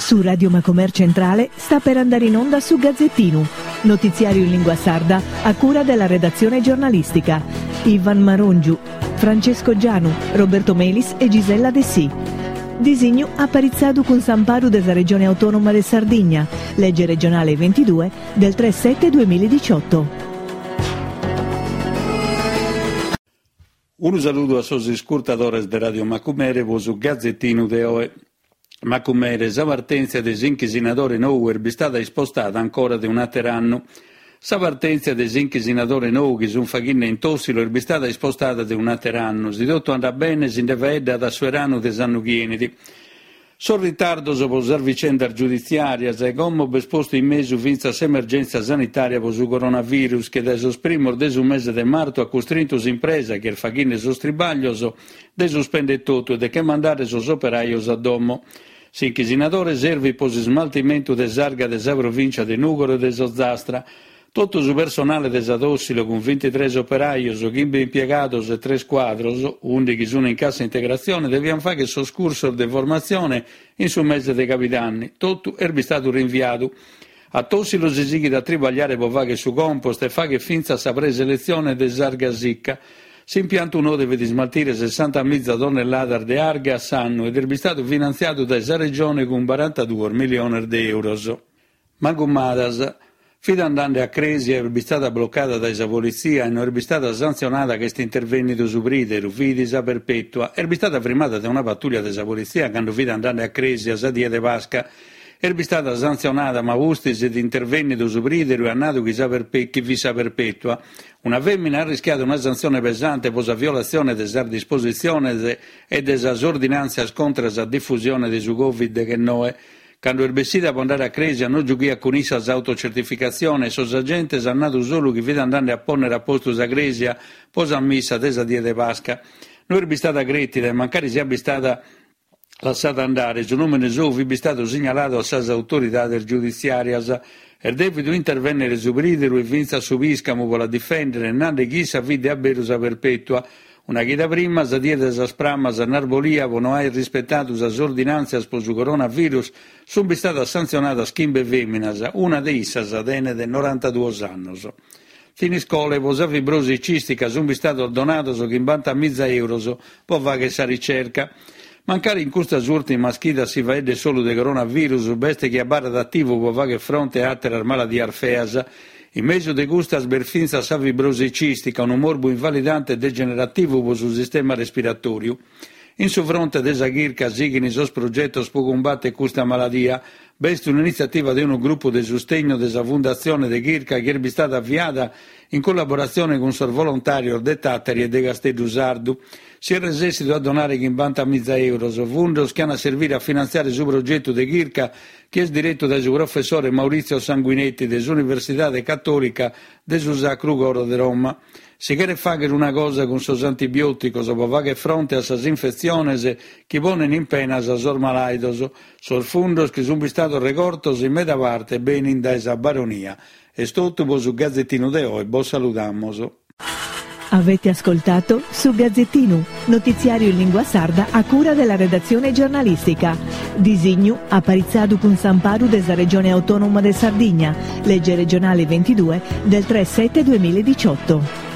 Su Radio Macomer Centrale sta per andare in onda su Gazzettinu, notiziario in lingua sarda a cura della redazione giornalistica. Ivan Marongiu, Francesco Gianu, Roberto Melis e Gisella Dessì. Disignu aparitzadu cun s'amparu de sa Regione Autonoma de Sardigna, lege regionale 22 del 3 7 2018. Unu saludu a sos iscurtadores de Radio Macumere pro su Gazetinu de oe. Macumere, sa partèntzia de s'inchisinadore nou est bistada ispostada ancora de un'àter'annu. Sa partèntzia de s'inchisinadore nou chi sunt faghende in Tòssilo est bistada ispostada de un'àter'annu. Si totu andat bene si nde faeddat a su 'eranu de s'annu chi 'enit. Sos ritardos pro sas vicendas giuditziàrias e como b'est postu in mesu fintzas s'emergèntzia sanitària pro su coronavirus chi dae sos primos de su mese de martu at custrintu s'impresa chi est faghende sos tribàglios de suspèndere totu e de che mandare sos operajos a domo. S'inchisinadore servit pro s'ismaltimentu de s'arga de sa provìncia de Nùgoro e de s'Ozastra. Totu su personale de sa Tossilo cun bintitres operajos, chimbe impiegados e tres cuadros, ùndighi sun in cassa integratzione, deviant fàghere sos cursos de formatzione in su mese de cabidanni. Totu est bistadu rinviadu. A Tossilo si sighit a tribagliare pro fàghere su compost e fàghere fintzas sa preseletzione de s'arga sicca. S'impiantu nou devet ismaltire sessantamiza tonnelladas de arga a s'annu ed est bistadu finantziadu dae sa Regione cun barantaduos miliones de euros. Magumadas. Fit andende a crèsia e est bistada blocada dae sa politzia e no est bistada santzionada ca est intervènnidu su prìderu, fit sa Perpètua. Est bistada frimada dae una patùllia de sa politzia cando fit andende a crèsia sa die de Pasca. Est bistada santzionada ma pustis est intervènnidu su prìderu e at nadu chi sa chi fit sa Perpètua. Una fèmina at rischiadu una santzione pesante pro sa violatzione de sas dispositziones e de sas ordinàntzias contra sa difusione de su Covid deghennoe. Cando est bessida pro andare a crèsia no giughiat cun issa s'autocertificatzione e sos agentes ant nadu solu chi fit andende a pònnere a postu sa crèsia pro sa missa de sa die de Pasca. No est bistada crètida e mancari siat bistada lassada andare, su nùmene sou fit bistadu signaladu a sas autoridades giuditziàrias. Est dèvidu intervènnere su prìderu e fintzas su pìscamu pro la difèndere, nande chi issa fit de a beru sa Perpètua. Una chida prima, sa die de sas Pramas a Narbolia, pro no aer rispetadu sas ordinàntzias pro su coronavirus, sunt bistadas santzionadas chimbe fèminas, una de issas tenet norantaduos annos. Thiniscole, pro sa fibrosi cìstica sunt bistados donados chimbantamiza euros pro fagher sa ricerca. Mancari in custas ùrtimas chidas si faeddet solu de coronavirus, b'est chi abarrat ativu pro fagher fronte a àteras maladias feas. In mesu de custas b'est fintzas sa fibrosi cìstica, unu morbu invalidante e degenerativu pro su sistema respiratòriu. In su fronte de sa chirca sighint sos progetos pro cumbàtere custa maladia. B'est un'initziativa de unu grupu de sustegnu de sa Fundatzione de Chirca chi est bistada aviada in collaboratzione cun sos volontàrios de Tàtari e de Casteddu Sardu. Si est resèssidu a donare chimbantamiza euros, fundos chi an a servire a finantziare su progetu de chirca chi est diretu dae su professore Maurizio Sanguinetti de s'Universidade Catòlica de su Sacru Coro de Roma. Si cheret fàghere una cosa cun sos antibiòticos pro fàghere fronte a sas infetziones chi ponent in penas sos malàidos. Sos fundos chi sunt bistados regortos in meda parte benint dae sa Baronia. Est totu pro su Gazetinu de oe, bos saludamus. Avete ascoltato Su Gazzettinu, notiziario in lingua sarda a cura della redazione giornalistica. Disignu aparitzadu cun s'amparu de sa Regione Autonoma de Sardigna, legge regionale 22 del 3 7 2018.